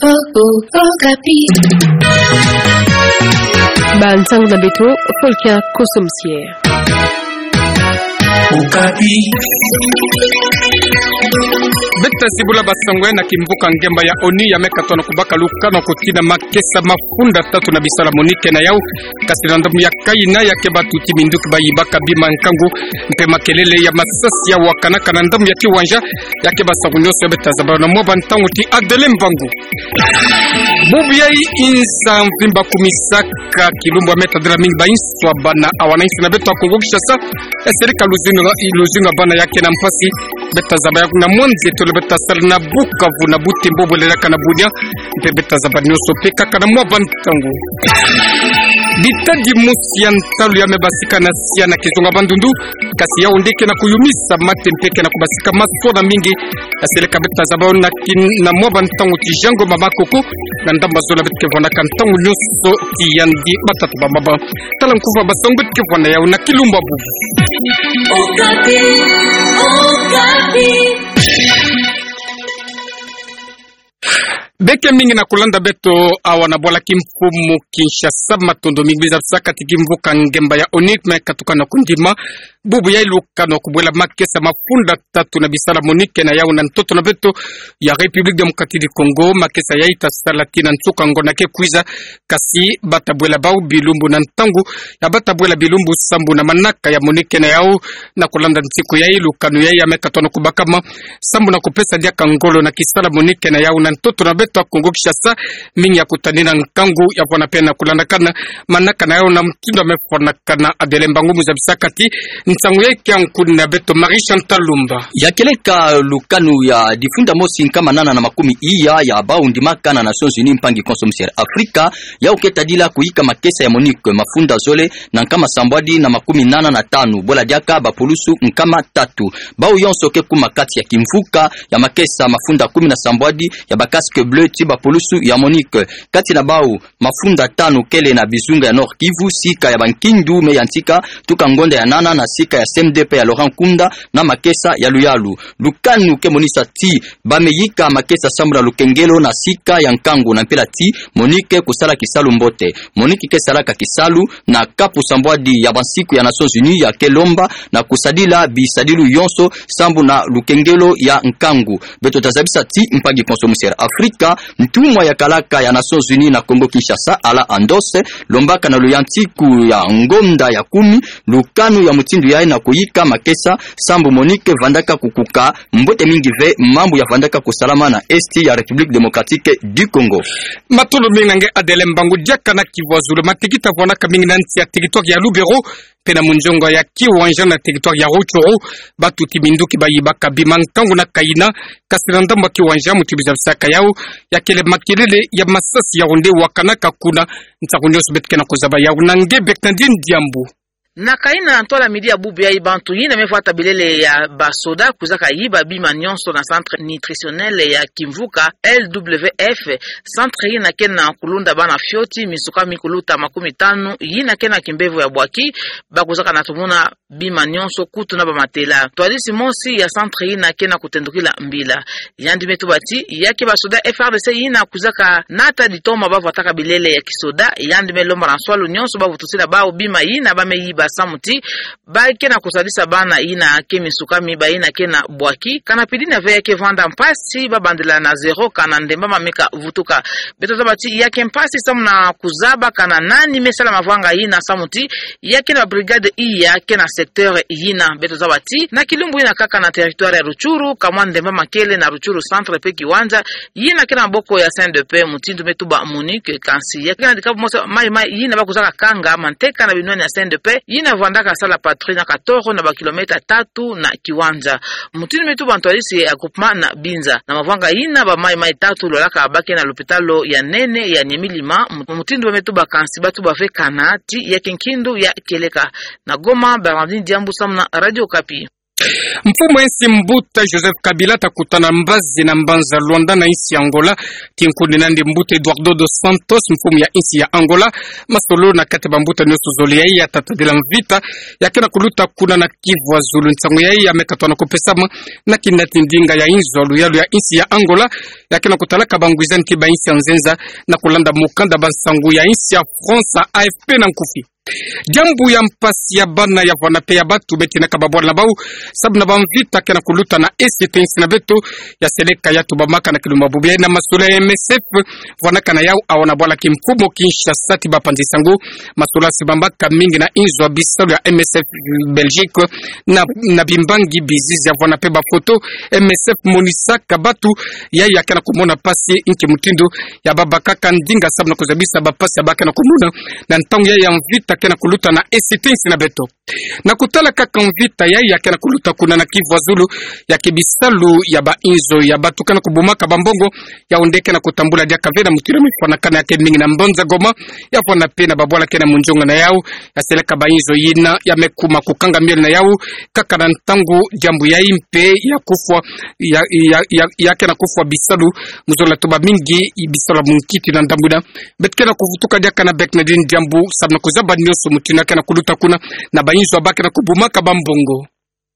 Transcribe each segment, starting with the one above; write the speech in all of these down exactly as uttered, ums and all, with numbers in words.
Okapi. Ba ntangu na beto, Volker Kosomosier. Okapi. Beta zibula basango ya na kimvuka ngemba ya ONU ya me katono kubaka lukanu ko tina makesa mafunda tatu na bisala MONUC ke na yau. Kasi na ndambu ya kayina ya ke batuti minduki bayibaka bima nkangu mpe makelele ya masasi ya wakanaka na ndambu ya kiwanja, ya ke basango nyonso ya beta zaba na mwa ba ntangu ti Adeline Mbangu. Bubu yayi nza mvimba kumisaka kilumbu ya me tadila mingi ba inswa bana awana insi na beto ya Kongo Kinshasa. Esirika luzingu, luzingu ya bana ya ke na mpasi. Beta zaba ya kuna mwanzi tole beta sala na Bukavu na Butembo bwelelaka na Bunia. Mpe beta zaba nyonso mpe kaka na mwa ba ntangu. Bitadi mosi ya ntalu ya me basika na sia na kizunga Bandundu. Kasi yau nde ke na kuyumisa mate mpe ke na kubasika masona mingi. Aseleka beta zaba na kin-, na mwa ba ntangu ti Jango Mama Koko, na ndambu ya zole beto ke vwandaka ntangu nyonso ti yandi batata ba mama. Tala nkufa basango beto ke vwanda yau na kilumbu ya bubu. Okapi, Okapi. Beke mingi na kulanda beto awa na bwala kimfumu Kinshasa, matondo mingi. Biza bisaka ti kimvuka ngemba ya ONU me katuka na kundima bubu yayi lukanu kubwela makesa mafunda tatu na bisala MONUC ke na yau na ntoto na beto ya République Démocratique du Congo. Makesa yayi ta sala tii na nsuka ngonda ke kwiza, kasi bata bwela bau bilumbu na ntangu ya bata bwela bilumbu sambu na manaka ya MONUC ke na yau. Na kulanda nsiku yayi, lukanu yayi ya me katono kubakama sambu na kupesa diaka ngolo na kisala MONUC ke na yau na ntoto na beto ya Kongo Kinshasa. Mingi ya kutanina nkangu ya vwanda mpe na kulandakana manaka na yau na mutindu ya me fwanakana. Adeline Mbangu, mu zabisaka ti nsangu yayi ke ya nkuni na beto Marie Chantal Lumba. Ya kieleka lukanu ya difunda mosi nkama nana na makumi iya ya bau ndimaka na Nations Unies, mpangi Kosomosier, Afrika, yau ke tadila kuyika makesa ya MONUC mafunda zole na nkama sambwadi na makumi nana na tanu, bwela diaka bapulusu nkama tatu. Bau yonso ke kuma kati ya kimvuka ya makesa mafunda kumi na sambwadi ya ba casques bleus ti bapulusu ya MONUC. Kati na bau, mafunda tanu kele na bizunga ya Nord-Kivu, sika ya Bankindu, me yantika tuka ngonda ya nana na sika ya CMDP ya Laurent Nkunda na makesa ya luyalu. Lukanu ke monisa ti ba me yika makesa sambu na lukengelo na sika ya nkangu na mpila ti MONUC kusala kisalu mbote. MONUC ke salaka kisalu na kapu sambwadi ya bansiku ya Nations Unies ya ke lomba na kusadila bisadilu yonso sambu na lukengelo ya nkangu. Beto ta zabisa ti mpangi Kosomosier, Afrika, ntumwa ya kalaka ya Nations Unies na Kongo Kinshasa, Alain Andos, lombaka na luyantiku ya ngonda ya kumi lukanu ya mutindu yayi na kuyika makesa sambu MONUC vandaka kukuka mbote mingi ve mambu ya vandaka kusalama na Est ya République Démocratique du Congo. Matondo mingi na nge Adeline Mbangu. Diaka na kivuazulu, matekita vwanaka mingi na nsi ya territoire ya Lubero mpe na munzongo ya Kiwanja na territoire ya Rutshuru, batuti minduki bayibaka bima nkangu na kayina. Kasi na ndambu ya Kiwanja, mutindu zabisaka yau, ya kele makelele ya masasi yau nde wakanaka kuna. Nsangu nyonso beto ke na kuzaba yau na nge Bernardine Diambu. Na kayina na ntwala midi ya bubu yayi, bantu yina me vwata bilele ya basoda kwizaka yiba bima nyonso na centre nutritionnel ya kimvuka L W F. Centre yina ke na kulunda bana fioti, misukami kuluta makumi tanu, yina ke na kimbevo ya bwaki, bakwizaka na tumuna bima nyonso, kutu na bamatela. Ntwadisi mosi ya centre yina ke na kutendukila mbila. Yandi me tuba ti ya ke basoda F R D C yina kwizaka nata ditoma bavwataka bilele ya kisoda, yandi me lomba na nswalu nyonso bavutusila bau bima yina ba me yiba samu ti ba ke na kusadisa bana yina ke misukami, bayina ke na bwaki. Kana pidina ve ya ke vwanda mpasi babandila na zéro kana ndemba ma meka vutuka. Beto zaba ti ya ke mpasi samu na kuzaba kana nani me sala mavanga yina samu ti ya ke na brigade iya ke na secteur yina. Beto zaba ti na kilumbu yina kaka na territoire ya Rutshuru, kamwa ndemba ma kele na Rutshuru centre mpe Kiwanja, yina ke na maboko ya C N D P, mutindu me tuba MONUC. Kansi ya ke na dikabu mosi maimai yina bakwizaka kanga manteka na binwani ya C N D P, yina vwandaka sala patrouille na katoro na ba kilomètre tatu na Kiwanja. Mutindu me tuba ntwadisi ya groupement na Binza. Na mavanga yina, bamaimai tatu lolaka ba ke na lopitalo ya nene ya Niamey-Lima. Mu-, mutindu ba me tuba, kansi ba tuba ve kana ti ya ke nkindu ya kieleka. Na Goma, Bernardine Diambu samu na Radio Okapi. Mfumu ya insi mbuta Joseph Kabila ta kutana mbazi na mbanza Luanda na insi ya Angola. Kinkuni nandi mbuta Eduardo dos Santos, mfumu ya insi ya Angola, masolo na kati ya bambuta nyonso zole yayi ya tata de la mvita ya ke na kuluta kuna na kivuazulu. Nsangu yayi ya me katona kupesama na kinati ndinga ya inzo ya luyalu ya insi ya Angola. ya ke na kutalaka bangwizani ti ba insi ya nzenza, na kulanda mukanda ba nsangu ya insi ya France, A F P na nkufi. Diambu ya mpasi ya bana ya vwana mpe ya batu betinaka babwala na bau, sababu na bamvita ke na kuluta na Est ti insi na beto, ya seleka ya tubamaka na kilumbu bubu yayi na masolo ya M S F, vwanaka na yau awa na bwala kimfumu Kinshasa ti bapanzi nsangu, masolo ya sibamaka mingi na inzo ya bisalu ya M S F Belgique, na, na bimbangi bizizi ya vwana mpe bafoto, M S F monisaka batu, yayi ya ke na kumona mpasi nki mutindu, ya babakaka ndinga sababu na kuzabisa bampasi ya ba ke na kumona, na ntangu yayi ya mvita ke na kuluta na Est ti insi na beto. Na kutala kaka mvita yayi ya ke na kuluta kuna na Kivu ya Zulu, ya ke bisalu ya ba inzo ya batu ke na kubumaka bambongo, yau nde ke na kutambula diaka ve na mutindu ya mifwanakana ya ke mingi na mbanza Goma, ya vwana mpe na babwala ke na munzonga na yau, ya seleka ba inzo yina, ya me kuma kukanga miole na yau, kaka na ntangu diambu yayi mpe ya kufwa, ya, ya, ya, ya ke na kufwa bisalu, mu zola tuba mingi, bisalu ya munkiti na ndambu yina, beto ke na kuvutuka diaka na bek na dini diambu, sababu na kuzaba nionso mutindu ya ke na kuluta kuna, na ba inzo ya ba ke na kubumaka bambongo.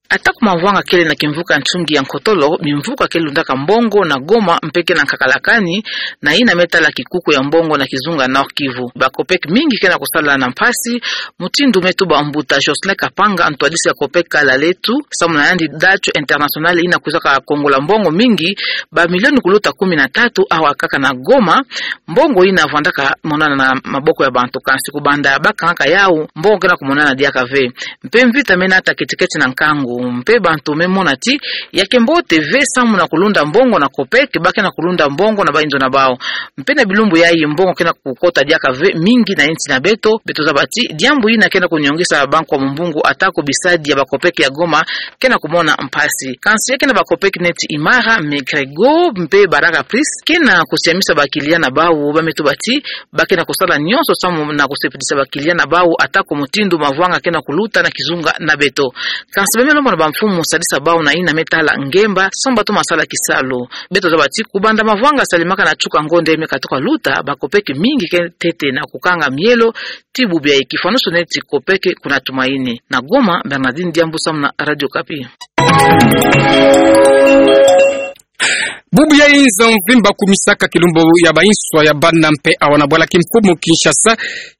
Ata ku mavwanga kele na kimvuka ntungi ya nkotolo, mimvuka ke lundaka mbongo na Goma mpe ke na nkakalakani, na yina me tala kikuku ya mbongo na kizunga Nord-Kivu. Ba COPEC mingi ke na kusala na mpasi, mutindu me tuba mbuta Jocelyn Kapanga, ntwadisi ya COPEC Kala Letu, samu na yandi Date Internationale yina kwizaka kongola mbongo mingi, ba milioni kuluta kumi na tatu awa kaka na Goma, mbongo yina vwandaka monana na maboko ya bantu, kansi kubanda bakangaka yau, mbongo ke na kumonana diaka ve. Mpe mvita me nata keti-keti na nkangu, mpe bantu me mona ti, ya ke mbote ve samu na kulunda mbongo na COPEC, ba ke na kulunda mbongo na ba inzo na bau. Mpe na bilumbu yayi mbongo ke na kukota diaka ve mingi na insi na beto, beto zaba ti, diambu yina ke na kuniongesa Banque ya Mumbungu ata ko bisadi ya ba COPEC ya Goma, ke na kumona mpasi. Kansi ya ke na ba COPEC neti Imara, Megrego, mpe Baraka Pris, ke na kusiamisa ba client na bau, ba me tuba ti, ba ke na kusala nionso samu na kusepelisa ba client na bau ata ko mutindu mavwanga ke na kuluta na kizunga na beto. Kansi ba me lomba na ba mfumu sadisa bau na yina me tala ngemba, samu ba toma sala kisalu. Beto zaba ti kubanda mavwanga salemaka na chuka ngonde me katuka luta, ba COPEC mingi ke ntete na kukanga mielo, ti bubu yayi kifwanusu neti COPEC kuna Tumaini. Na Goma, Bernardine Diambu samu na Radio Okapi. Bubu yayi nza mvimba kumisaka kilumbu ya ba inzo ya bana mpe awa na bwala kimfumu Kinshasa,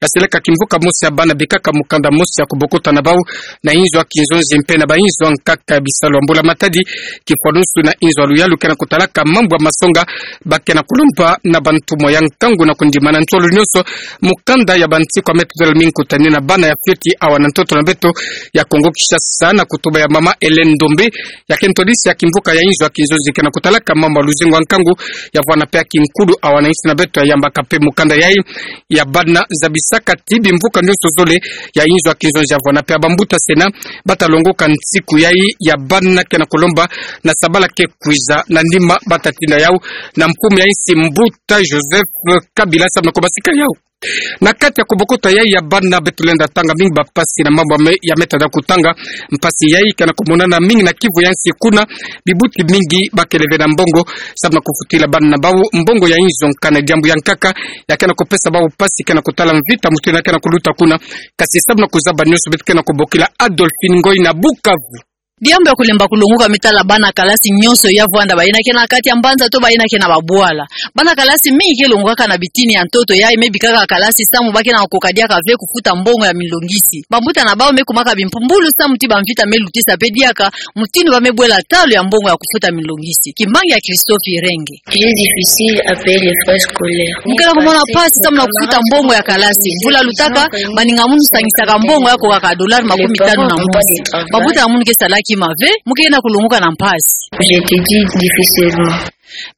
ya seleka kimvuka mosi ya bana bikaka mukanda mosi ya kubokota na bau, na inzo ya kinzonzi mpe na ba inzo ya nkaka ya bisalu ya mbula matadi, kifwanusu na inzo ya luyalu ke na kutalaka mambu ya masonga, ba ke na kulomba na bantumwa ya nkangu na kundima na ntolo nionso, mukanda ya ba nsiku ya me tutela mingi kutani na bana ya fioti awa na ntoto na beto ya Kongo Kinshasa na kutuba ya mama Hélène Ndombe, ya ke ntwadisi ya kimvuka ya inzo ya kinzonzi ke na kutalaka mambu ya luzingu ya nkangu, ya vwana mpe ya kinkulu awa na insi na beto, ya yambaka mpe mukanda yayi ya bana, zabisaka ti bimvuka nionso zole ya inzo ya kinzonzi ya vwana mpe ya bambuta Sénat, ba ta longoka nsiku yayi ya bana ke na kulomba na sabala ke kwiza na nima ba ta tinda yau na mfumu ya insi mbuta Joseph Kabila samu na kubasika yau. Na kati ya kubokota yayi ya bana beto lenda tanga mingi bampasi na mambu ya me-, ya me tada kutanga. Mpasi yayi ke na kumonana mingi na Kivu ya nsi kuna, bibuti mingi ba kele ve na mbongo, samu na kufutila bana na bau mbongo ya inzo, nkana diambu ya nkaka ya ke na kupesa bau mpasi ke na kutala mvita mutindu ya ke na kuluta kuna. Kansi samu na kuzaba nionso beto ke na kubokila Adolphine Ngoyi na Bukavu. Diambu ya kulemba kulongoka me tala bana kalasi nionso ya vwanda, bayina ke na kati ya mbanza to bayina ke na babwala. Bana kalasi mingi ke longokaka na bitini ya ntoto yayi me bikaka kalasi samu ba ke na koka diaka ve kufuta mbongo ya milongisi. Bambuta na bau me kumaka bimpumbulu samu ti bamvita me lutisa mpe diaka mutindu ba me bwela talu ya mbongo ya kufuta milongisi. Kimbangi ya Christophe Irenge. J'ai difficile à payer les frais scolaires. Mu ke na kumona mpasi samu na kufuta mbongo ya kalasi. Mvula lutaka, baninga munu sangisaka mbongo ya kokaka dollar makumi tanu na mosi. Bambuta na munu ke sala kima ve, mu ke na kulongoka na mpasi. J'ai été dit difficilement.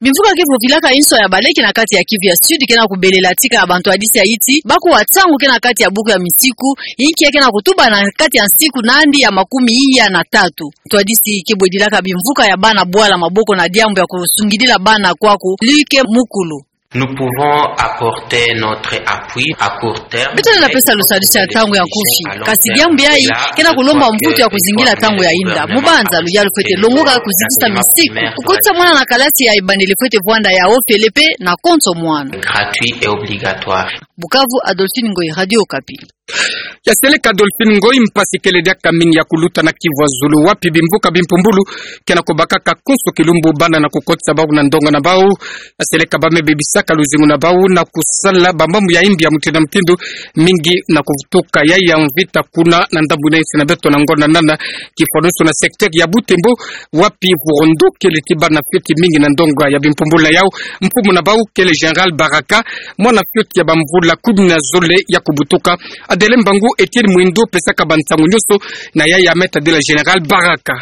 Bimvuka ke vovilaka inso ya baleke na kati ya Kivu ya Sud ke na kubelela tika ya bantwadisi ya yiti, bakuwa nsangu ke na kati ya buku ya misiku, inki ya ke na kutuba na kati ya nsiku nandi ya makumi iya na tatu. Ntwadisi ke bwedilaka bimvuka ya bana bwala maboko na diambu ya kusungidila bana kwaku, Luc Mukulu. Nous pouvons apporter notre appui à court terme. Beto lenda pesa lusadisi ya ntangu ya nkufi. Kasi diambu yayi ke na kulomba mvutu ya kuzingila ntangu ya inda. Mubanza luyalu fwete longoka kuzitisa misiku. Kukotisa mwana na kalasi ya ebandeli fwete vwanda ya ofele mpe na konso mwana. Gratuit et obligatoire. Bukavu, Adolphine Ngoyi, Radio Okapi. Ya seleka Dolphine Ngoyi, mpasi kele diaka mingi ya kuluta na Kivu ya Zulu, wapi bimvuka bimpumbulu ke na kubakaka konso kilumbu bana na kukotisa bau na ndonga na bau. Ya seleka ba me bebisaka luzingu na bau na kusala bamambu ya imbi ya mutindu na mutindu, mingi na kuvutuka ya ya mvita kuna na ndambu na insi na beto na ngonda nana, kifwanusu na secteur ya Butembo, wapi vurondo kele ti bana fioti mingi na ndonga ya bimpumbulu na yau. Mfumu na bau kele Général Baraka, mwana fioti ya bamvula kumi na zole ya kubutuka. Adele Mbangu, Etienne Mwindo pesaka bansangu nyonso na ya ya me tadila Général Baraka.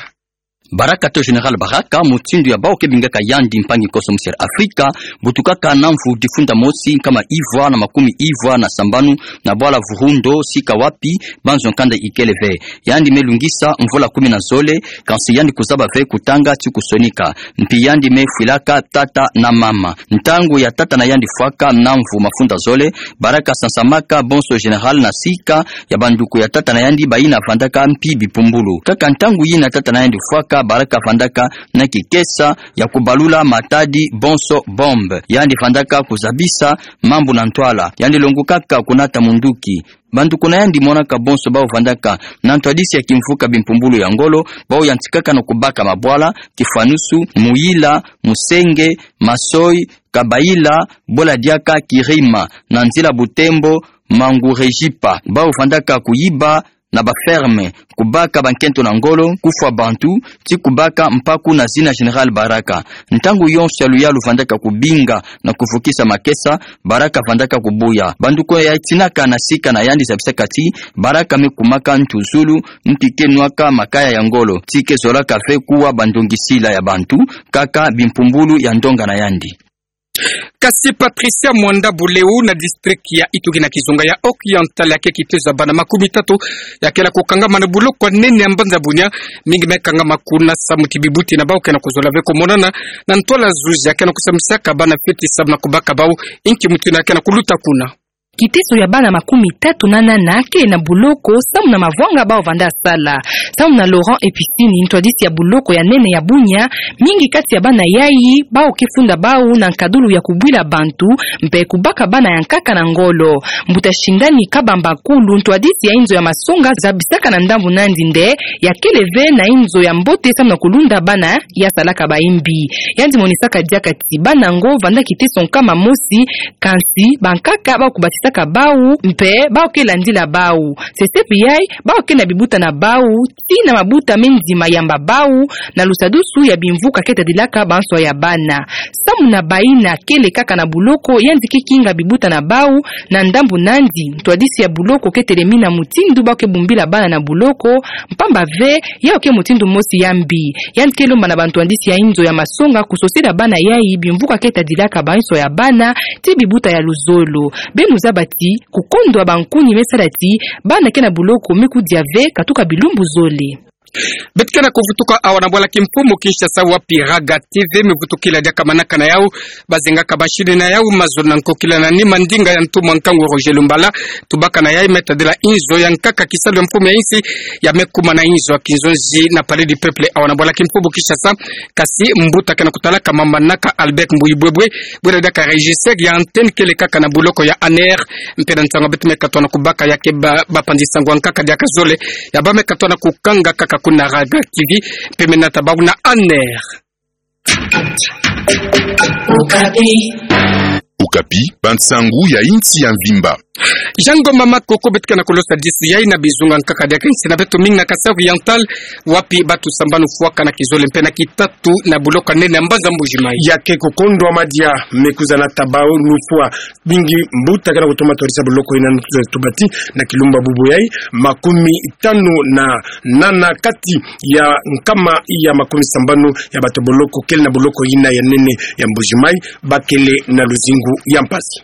Baraka to Général Baraka, mutindu ya bau ke bingaka yandi mpangi konso musi ya Afrika, butukaka na mvu difunda mosi nkama ivwa na makumi ivwa na sambanu na bwala Vurundo, sika wapi banzo nkanda ikele ve. Yandi me lungisa mvula kumi na zole, kansi yandi kuzaba ve kutanga ti kusonika. Mpi yandi me fwilaka tata na mama. Ntangu ya tata na yandi fwaka na mvu mafunda zole, Baraka sansamaka bonso Général na sika ya banduku ya tata na yandi bayina vandaka mpi bipumbulu. Kaka ntangu yina tata na yandi fwaka, Baraka vandaka na kikesa ya kubalula matadi bonso bombe. Yandi vandaka kuzabisa mambu na ntwala. Yandi longokaka kunata munduki. Banduku na yandi monaka bonso bau vandaka na ntwadisi ya kimvuka bimpumbulu ya ngolo, bau yantikaka na kubaka mabwala, kifwanusu, Muyila, Musenge, Masoi, Kabaila, Bola Diaka, Kirima, na nzila Butembo, Mangurejipa. Bau vandaka kuyiba na ba ferme, kubaka bankento na ngolo, kufwa bantu, ti kubaka mpaku na zina Général Baraka. Ntangu yonso ya luyalu vandaka kubinga na kuvukisa makesa, Baraka vandaka kubuya. Banduku ya tinaka na sika na yandi zabisaka ti Baraka me kumaka ntuzulu, nti ke nwaka makaya ya ngolo, ti ke zolaka ve kuwa bandongisila ya bantu, kaka bimpumbulu ya ndonga na yandi. Kasi Patricia Mwanda Buleu na district ya Itugi na kizunga ya Occidental ya ke kitezo ya bana makumi tatu ya ke na kukangama na buloko ya nene ya mbanza Bunia, mingi me kangama kuna samu ti bibuti na bau ke na kuzola ve kumonana na ntwala zuzi ya ke na kusambisaka bana fioti samu na kubaka bau. Inki mutindu ya ke na kuluta kuna? Kitezo ya bana makumi tatu na nana ke na buloko samu na mavwanga bau vanda sala. Samu na Laurent Episini, ntwadisi ya buloko ya nene ya Bunia, mingi kati ya bana yai bau ke funda bau na nkadulu ya kubwila bantu, mpe kubaka bana ya nkaka na ngolo. Mbuta Shindani Kabamba Kulu, ntwadisi ya inzo ya masonga, zabisaka na ndambu na yandi nde ya kele ve na inzo ya mbote samu na kulunda bana ya salaka baimbi. Yandi monisaka diaka ti bana yango vanda kitezo nkama mosi, kansi bankaka bau kubatisaka bau, mpe bau ke landila bau. Sesepi yai, bau ke na bibuta na bau, ti na mabuta me nzima yamba bau, na lusadusu ya bimvuka ke tadilaka banswa ya bana. Samu na bayina kele kaka na buloko, yandi ke kinga bibuta na bau, na ndambu na yandi, ntwadisi ya buloko ke telemina mutindu bau ke bumbila bana na buloko, mpamba ve, yau ke mutindu mosi ya mbi. Yandi ke lomba na bantwadisi ya inzo ya masonga kusosila bana yai bimvuka ke tadilaka banswa ya bana, ti bibuta ya luzolo. Beno zaba ti, kukondwa bankuni me sala ti bana ke na buloko me kudia ve katuka bilumbu zole. Beto ke na kuvutuka awa na bwala kimfumu Kinshasa, wapi Raga T V me vutukila diaka manaka na yau, bazingaka mashini na yau mazono na nkokila na nima ndinga ya ntumwa nkangu Roger Lumbala, tubaka na yai me tadila inzo ya nkaka kisalu ya mfumu ya insi, ya me kuma na inzo ya kinzonzi na Palais du Peuple awa na bwala kimfumu Kinshasa. Kasi mbuta ke na kutalaka mamanaka Albert Mbuyi Bwebwe, bwena diaka régisseur ya antenne kele kaka na buloko ya ANR, mpe na nsangu beto me katuka na kubaka ya ke ba, bapanzi nsangu ya nkaka diaka zole, ya ba me katuka na kukanga kaka kuna Raga T V, mpe me nata bau na ANR. Okapi. Okapi, bansangu ya insi ya mvimba. Jean Ngoma Makoko, beto ke na kulosa disu yai na bizunga nkaka diaka insi na beto mingi na Kasai Oriental, wapi batu sambanu fwaka na kizole mpe na kitatu na buloko ya nene ya mbanza Mbuji-Mayi. Ya ke kukondwa madia me kwiza nata bau nufwa. Mingi mbuta ke na kutoma twadisa buloko yina nzole tubati na kilumba bubu yai, makumi tanu na nana kati ya nkama ya makumi sambanu ya bato boloko kele na buloko yina ya nene ya Mbuji-Mayi, ba kele na luzingu ya mpasi.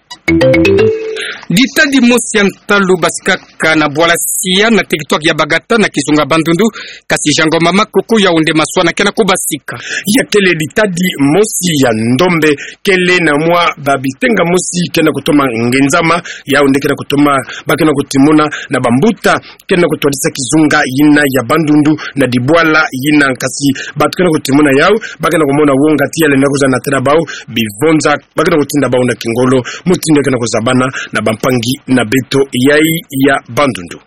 Ditadi mosi ya ntalu basikaka na bwala sia na territoire ya Bagata na kizunga Bandundu, kasi Jean Ngoma Makoko, yau nde maswana ke na kubasika. Ya kele ditadi mosi ya ndombe kele na mwa babitenga mosi ke na kutoma ngenzama, yau nde ke na kutoma, ba ke na kutimuna na bambuta ke na kutwadisa kizunga yina ya Bandundu na dibwala yina, kasi bato ke na kutimuna yau, ba ke na kumona wonga ti yale na kwiza natela bau bivonza, ba ke na kutinda bau na kingolo, mutindu ke na kuzabana na bampangi na beto yai ya Bandundu.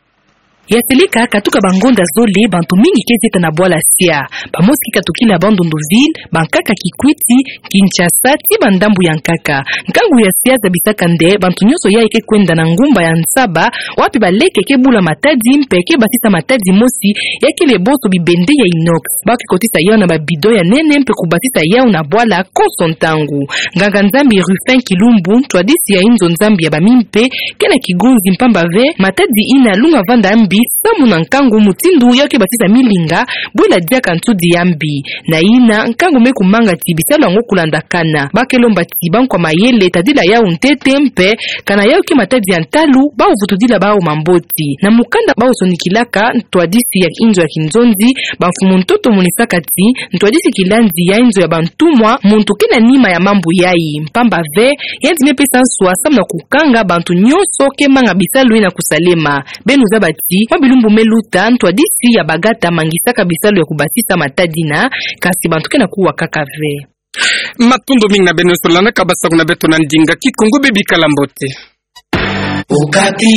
Ya seleka, katuka bangonda zole, bantu mingi ke zieta na bwala sia. Bamosi ke katukila Bandundu ville, bankaka Kikwit, Kinshasa, tii bandambu ya nkaka. Nkangu ya sia zabisaka nde bantu nyonso yai ke kwenda na ngumba ya nsaba, wapi baleke ke bula matadi mpe ke basisa matadi mosi, ya kele bonso bibende ya inox. Ba ke kotisa yau na babidon ya nene mpe kubasisa yau na bwala konso ntangu. Nganga-Nzambi Rufin Kilumbu, ntwadisi ya inzo Nzambi ya bamimpe, ke na kigunzi mpamba ve matadi ina lunga vanda mbi samu na nkangu mutindu yau ke basisa milinga, bwela diaka ntudi ya mbi. Na ina, nkangu me kumanga ti bisalu yango kulandakana. Ba ke lomba ti bankwa mayele tadila yau ntete mpe, kana yau ke matadi ya ntalu, bau vutudila bau mamboti. Na mukanda bau sonikilaka, ntwadisi ya inzo ya kinzonzi, bamfumu ntoto monisaka ti, ntwadisi kilandi ya inzo ya bantumwa, muntu ke na nima ya mambu yai. Mpamba ve, yandi me pesa nswa samu na kukanga bantu nyonso ke manga bisalu ina kusalema. Beno zaba ti, mwa bilumbu me luta, ntwadisi ya bagata mangisaka bisalu ya kubasisa matadi na, kasi bantu ke na kuwa kaka ve. Matondo mingi na beno nyonso landaka basaku na beto na ndinga Kikongo, beno bikala mbote. Okapi.